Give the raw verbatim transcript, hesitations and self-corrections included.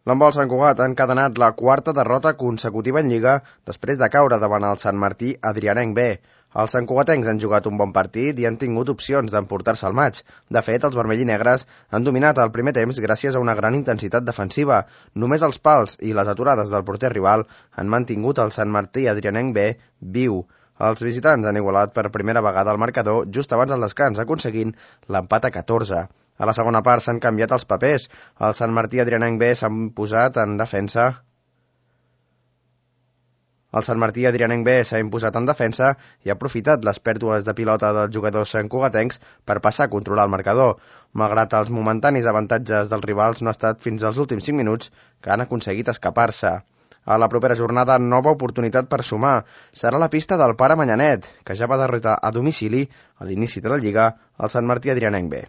L'handbol Sant Cugat ha encadenat la quarta derrota consecutiva en Lliga després de caure davant el Sant Martí Adrianenc B. Els santcugatencs han jugat un bon partit i han tingut opcions d'emportar-se el maig. De fet, els vermell i negres han dominat el primer temps gràcies a una gran intensitat defensiva. Només els pals i les aturades del porter rival han mantingut el Sant Martí Adrianenc B viu. Els visitants han igualat per primera vegada el marcador just abans del descans, aconseguint l'empat a catorze. A la segona part s'han canviat els papers. El Sant Martí Adrianenc B s'ha imposat en defensa. El Sant Martí Adrianenc B s'ha imposat en defensa i ha aprofitat les pèrdues de pilota dels jugadors santcugatencs per passar a controlar el marcador. Malgrat els momentanis avantatges dels rivals, no ha estat fins als últims cinc minuts que han aconseguit escapar-se. A la propera jornada, nova oportunitat per sumar. Serà la pista del Pare Manyanet, que ja va derrotar a domicili a l'inici de la Lliga el Sant Martí Adrianenc B.